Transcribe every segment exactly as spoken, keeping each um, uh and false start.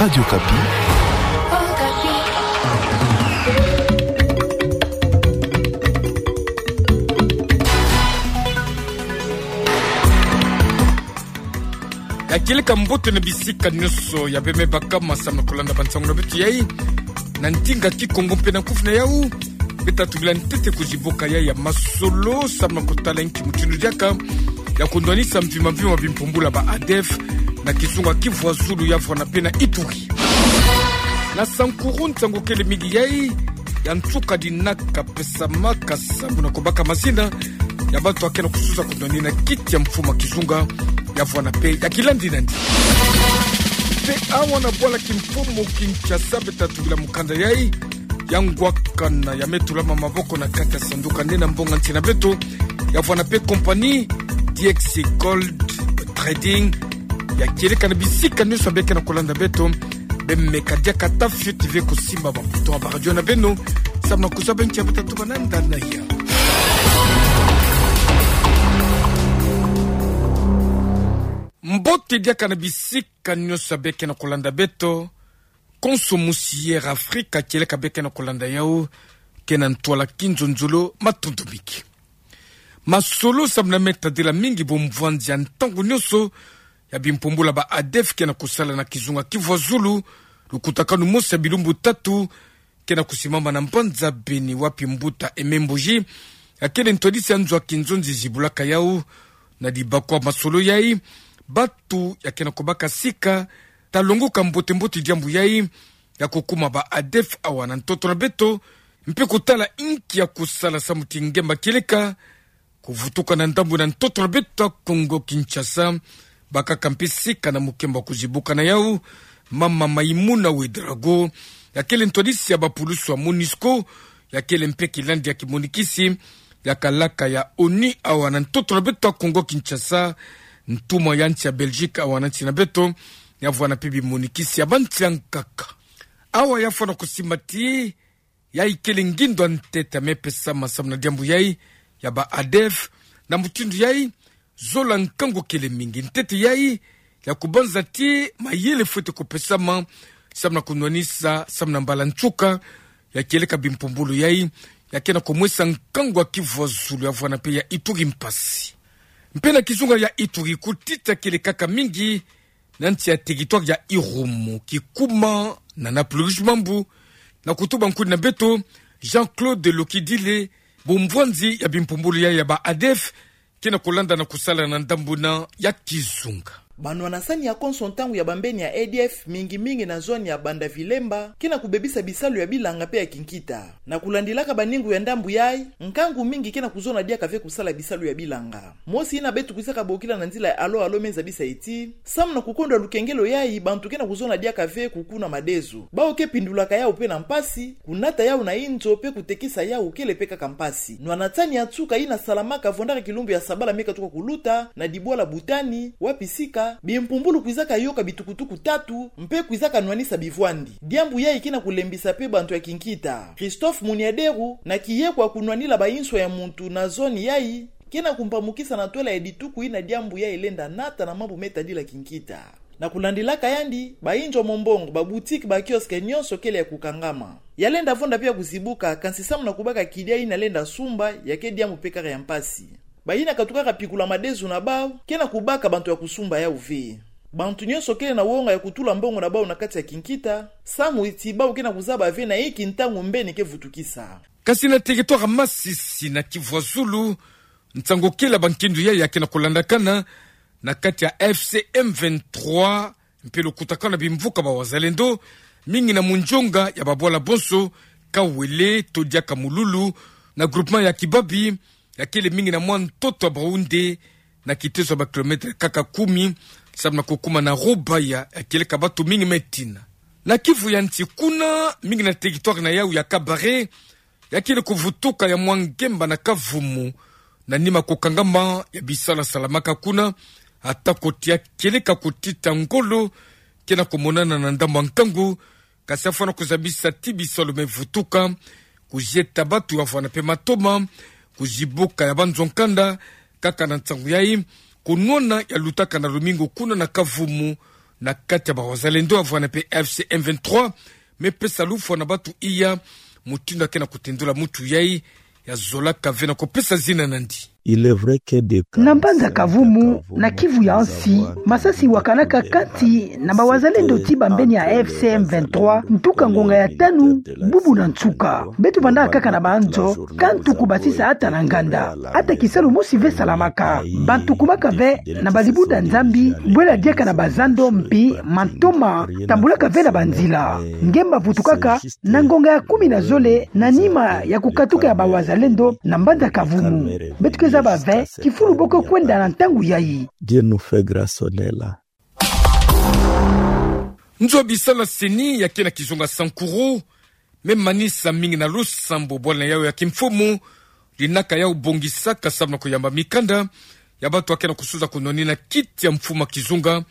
Radio Okapi. Ya kieleka mbote na bisika nyonso ya bemei bakama samu na kolanda bansangu na beto yai na ndinga Kikongo mpe na kufi na yau. Beta tubila ntete kuzibuka yai ya masolo samu na kotala nki mutindu diaka ya kunwanisa mvimba mvimba bimpumbulu ya ba ADF na kizunga Kivu ya Zulu ya vwanda mpe na Ituri. Na Sankuru, nsangu kele mingi yai ya nsuka dinaka pesamaka samu na kubaka mazina ya bantu ya ke na kususa kunwanina kiti ya mfumu ya kizunga ya vwanda mpe ya kilandi nandi. Mpe awa na bwala kimfumu Kinshasa, beta tubila mukanda yai ya ngwakana ya me tulama maboko na kati ya sanduka nde na mbonga nsi na beto ya vwanda mpe compagnie D X Gold Trading ya kieleka na bisika nyonso ya beke na kolanda beto. Bemeka diaka ata fioti ve kusimba ba bouton ya ba radio na beno samu na kuzaba nki ya beta tuba na ndani na ya. Mbote diaka na bisika nyonso ya beke na kolanda beto. Konso musi Air Afrika kieleka beke na kolanda yau ke na ntwala kinzonzolo, matondo mingi. Masolo samu na me tadila mingi bumvwanzi ya ntangu nyonso ya bimpumbulu ya ba ADF ke na kusala na kizunga Kivu ya Zulu. Lukutakanu mosi ya bilumbu tatu ke na kusimama na mbanza Beni, wapi mbuta Aimé Mbuji ya kele ntwadisi ya nzo ya kinzonzi zibulaka yau na dibakwa masolo yai. Bantu ya ke na kubaka sika ta longoka mbote mbote diambu yai ya kukuma ba ADF awa na ntoto na beto, mpe kutala inki ya kusala samu ti ngemba kieleka kuvutuka na ndambu na ntoto na beto ya Kongo Kinshasa. Bakaka mpe sika na mukembo ya kuzibuka na yau mama Maïmouna Ouédraogo ya kele ntwadisi ya bapulusu ya MONUSCO, ya kele mpe kilandi ya kimonikisi ya kalaka ya ONU awa na ntoto na beto ya Kongo Kinshasa, ntumwa ya nsi ya Belgique awa na nsi na beto, ya vwanda mpe bimonikisi ya bansi ya nkaka. Awa ya fwana kusimba ti yai kele ngindo ya ntete ya me pesama samu na diambu yai ya ba ADF. Na mutindu yai, zola nkangu kele mingi. Ntete yai ya kubanza ti mayele fwete kupesama samu na kunwanisa samu na mbala nsuka ya kieleka bimpumbulu yai ya ke na kumwesa nkangu ya Kivu ya Zulu ya vwanda mpe ya Ituri mpasi. Mpe na kizunga ya Ituri, kutita kele kaka mingi na nsi ya territoire ya Irumu, kikuma na Napluris Mambu, na kutuba nkuni na beto Jean-Claude Lokidile, bumvwanzi ya bimpumbulu yai ya ba ADF ke na kulanda na kusala na ndambu na ya kizunga. Banwana-sani ya konso ntangu ya bambeni ya ADF, mingi mingi na zone ya Banda-Vilemba, ke na kubebisa bisalu ya bilanga mpe ya kinkita. Na kulandilaka baningu ya ndambu yai, nkangu mingi ke na kuzona diaka ve kusala bisalu ya bilanga. Mosi ina beto kwizaka bokila na nzila ya Allô Allô me zabisa ti, samu na kukondwa lukengelo yai, bantu ke na kuzona diaka ve kukuna madezo. Bawu ke pindulaka yawu mpe na mpasi, kunata yawu na inzo mpe kutekisa yawu kele mpe kaka mpasi. Nwana-sani ya nsuka ina salamaka vwandaka kilumbu ya sabala me katuka kuluta, na dibwala Butani, wapi sika bimpumbulu kwizaka yoka bitukutuku tatu, mpe kwizaka nwanisa bivwandi. Diambu yai ke na kulembisa mpe bantu ya kinkita. Christophe Muniaderu, na kiye kwa kunwanila bainswa ya muntu na zone yai, ke na kumpamukisa na ntwala ya dituku ina diambu yai lenda nata na mambu me tadila kinkita. Na kulandilaka yandi, bainzo ya mombongo, baboutique, bakiosque nyonso kele ya kukangama. Ya lenda vonda mpe ya kuzibuka, kansi samu na kubaka kidia ina lenda sumba, ya ke diambu mpe kaka ya mpasi. Baina katukaka pikula madezo na bawu, ke na kubaka bantu ya kusumba yawu ve. Bantu nyonso kele na wonga ya kutula mbongo na bawu na kati ya kinkita, samu ti bawu ke na kuzaba ve na inki ntangu mbeni ke vutukisa. Kansi na territoire Masisi na Kivu ya Zulu, nsangu kele ya bankindu yai ya ke na kulandakana na kati ya F C M vingt-trois, mpe lukutakanu ya bimvuka ba Wazalendo, mingi na munzonga ya babwala bonso, Kawele, to diaka Mululu, na groupement ya Kibabi, ya kele mingi na mwa ntoto ya Baoundé, na kitezo ya ba kilomètre kaka kumi, samu na kukuma na Rubaya, ya kieleka bantu mingi me tina. Na Kivu ya Nsi kuna, mingi na territoire na yawu ya Kabare, ya kele kuvutuka ya mwa ngemba na kavumu, na nima kukangama ya bisalu ya salamaka kuna, ata ko ti ya kieleka kutita ngolo ke na kumonana na ndambu ya nkangu, kansi ya fwana kuzabisa ti bisalu me vutuka, kuzieta bantu ya vwanda mpe matoma, kuzibuka ya banzo ya nkanda, kaka na nsangu yai, kunwana ya lutaka na lumingu kuna na kavumu, na kati ya bawazalendo, ya vwanda pe F C M vingt-trois, me pesa lufwa na batu iya mutindu ya ke na kutendula mutu yai, ya zolaka ve na kupesa zina nandi. Na mbanza Kavumu, na Kivu ya nsi, masasi wakanaka kati na bawazalendo ti bambeni ya F C M vingt-trois, ntuka ngonga ya tanu, bubu na nsuka. Beto vandaka kaka na banzo, ka ntu kubasisa ata na nganda. Ata kisalu mosi ve salamaka. Bantu kumaka ve na balibunda Nzambi, bwela diaka na bazando mpi mantoma, tambulaka ve na banzila. Nge mbavutukaka, na ngonga ya kumi na zole, na nima ya kukatuka ya bawazalendo, na mbanza Kavumu. Beto ke zaba ve, kifulu bo ke kwenda na ntangu yai. Dieu nous fait grâce, on est là. Nzo ya bisalu ya CENI ya ke na kizunga Sankuru, me manisa mingi na lusambu bwala na yau ya kimfumu, dinaka yau bongisaka samu na kuyamba mikanda ya batu ya ke na kusuza kunwanina kiti ya mfumu ya kizunga,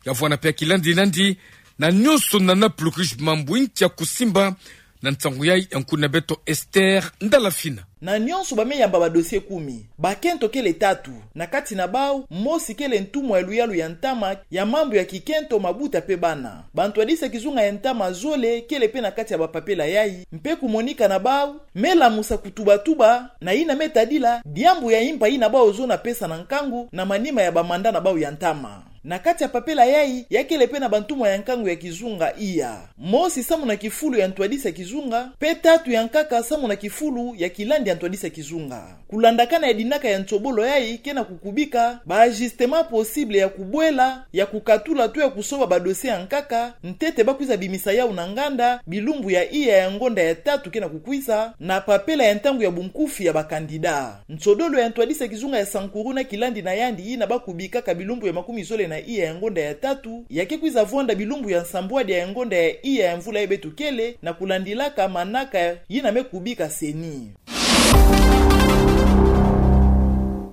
ya vwanda pe ya kilandi nandi, na nyonso nana plus riche mambu inki ya kusimba, na nsangu yai ya nkuna beto Esther Ndalafina. Na nyonso ba me yamba ba dossier kumi. Bakento kele tatu. Na kati na bau, mosi kele ntumwa ya luyalu ya ntama ya mambu ya kikento, mabuta pe bana. Bantwadisi ya kizunga ya ntama zole kele pe na kati ya bapapela yai, mpe kumonika na bau, me lamusa kutubatuba na yina me tadila diambu ya impa yina bau zona pesa na nkangu na manima ya bamanda na bau ya ntama. Na kati ya papela yai, ya kele pe na bantumwa ya nkangu ya kizunga iya. Mosi samu na kifulu ya ntwadisi ya kizunga, mpe tatu ya nkaka samu na kifulu ya kilandi ya ntwadisi ya kizunga. Kulandakana ya dinaka ya nsobolo yai ke na kukubika ba ajustements possibles ya kubwela, ya kukatula to ya kusoba ba dossiers ya nkaka, ntete ba kwiza bimisa yau na nganda, bilumbu ya iya ya ngonda ya tatu ke na kukwiza, na papela ya ntangu ya bunkufi ya ba candidats. Nsodolo ya ntwadisi ya kizunga ya Sankuru na kilandi na yandi yina ba kubikaka bilumbu ya makumi zole na iya ya ngonda ya tatu, ya ke kwiza vwanda bilumbu ya nsambwadi ya ngonda ya iya ya mvula yai beto kele, na kulandilaka manaka yina me kubika CENI.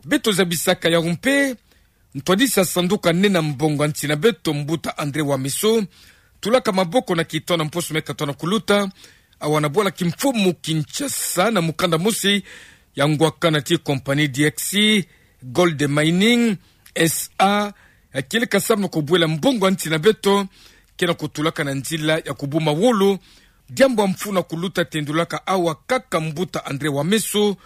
Beto zabisaka yau mpe, ntwadisi ya sanduku ya nene ya mbongo ya nsi na beto, mbuta André Wamesot, tulaka maboko na kitono mposo me katono kuluta, awa na bwala kimfumu Kinshasa na mukanda mosi ya ngwakana ti compagnie D X C Gold Mining S A, ya kieleka samu na kubwela mbongo ya nsi na beto ke na kutulaka na nzila ya kubuma wolo, diambu ya mfunu ya kuluta tendulaka awa kaka mbuta André Wamesot,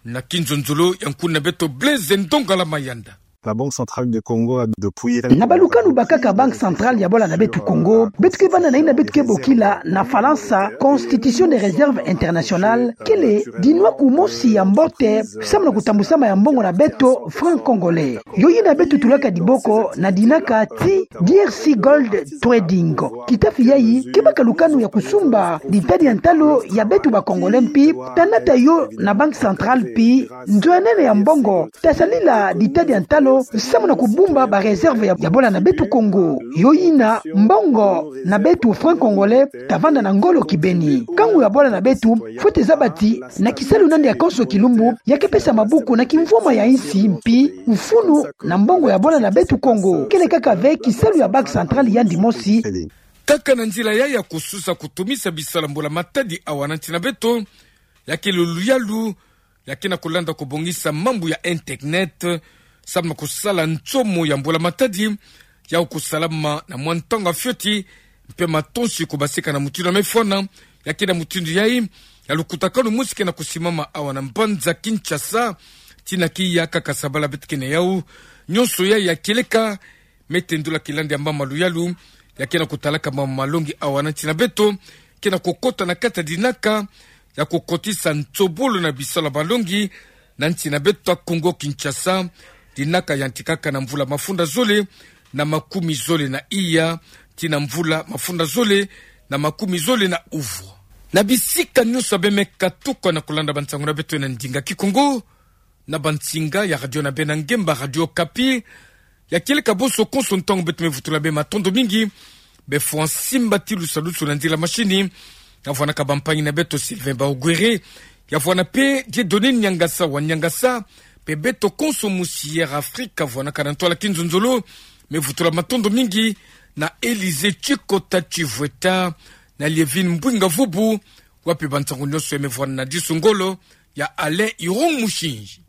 na kinzonzolo ya nkuna beto Blaise Ndongala Mayanda. La Banque Centrale de Congo a depuis... Na balukanu bakaka Banque Centrale ya bwala na beto Kongo, beto ke vanda na yina beto ke bokila na Falansa Constitution des réserves internationales, kele dinwa kumosi ya mbote samu na kutambusama ya mbongo na beto franc congolais. Yo yina beto tulaka diboko na dinaka ti D R C Gold Trading. Kitafi yai ke baka lukanu ya kusumba ditadi ya ntalo ya beto ba Congolais mpi ta nata yo na Banque Centrale mpi nzo ya nene ya mbongo ta salila ditadi ya ntalo samu na kubumba ba réserves ya, ya bwala na beto Kongo. Yo yina mbongo na beto franc congolais ta vanda na ngolo kibeni. Kangu ya bwala na beto fwete zaba ti na kisalu nandi ya konso kilumbu ya ke pesa mabuku na kimvwama ya insi mpi mfunu na mbongo ya bwala na beto Kongo. Kele kaka ve kisalu ya Banque Centrale yandi mosi. Kaka na nzila yai ya kususa kutumisa bisalu ya mbula matadi awa na nsi na beto, ya kele luyalu ya ke na kulanda kubongisa mambu ya internet samu na kusala nsomo ya mbula matadi, yau kusalama na mwa ntangu ya fioti, mpe matonsi kubasika na mutindu ya mefwana. Ya ke na mutindu yai ya lukutakanu mosi ke na kusimama awa na mbanza Kinshasa, tina ki ya kaka sabala beto ke na yau. Nyonso yai ya kieleka me tendula kilandi ya mama luyalu ya ke na kutalaka mama malongi awa na nsi na beto, ke na kukota na kati ya dinaka ya kukotisa nsobolo na bisalu ya malongi na nsi na beto ya Kongo Kinshasa, dinaka yantikaka na mvula mafunda zole na makumi zole na iya tii na mvula mafunda zole na makumi zole na uvwa. Na bisika nyonso ya bê me katuka na kulanda bansangu na beto na ndinga Kikongo, na bansinga ya radio na bê na ngemba Radio Okapi, ya kieleka bonso konso ntangu beto me vutula bê matondo mingi. Bê fwa nsimba ti lusadusu na nzila machine, ya vwanaka bampangi na beto Sylvain Baogwere, ya vwana mpe Dieudonné Niangasa wa Niangasa, mpe beto konso musi Air Afrique ya vwanaka na ntwala kinzonzolo, me vutula matondo mingi na Élysée Tchikota Tchivweta, na Lievine Mbwinga Vubu, wapi bansangu nyonso ya me vwana na disu ngolo ya Alain Irung Mushinji.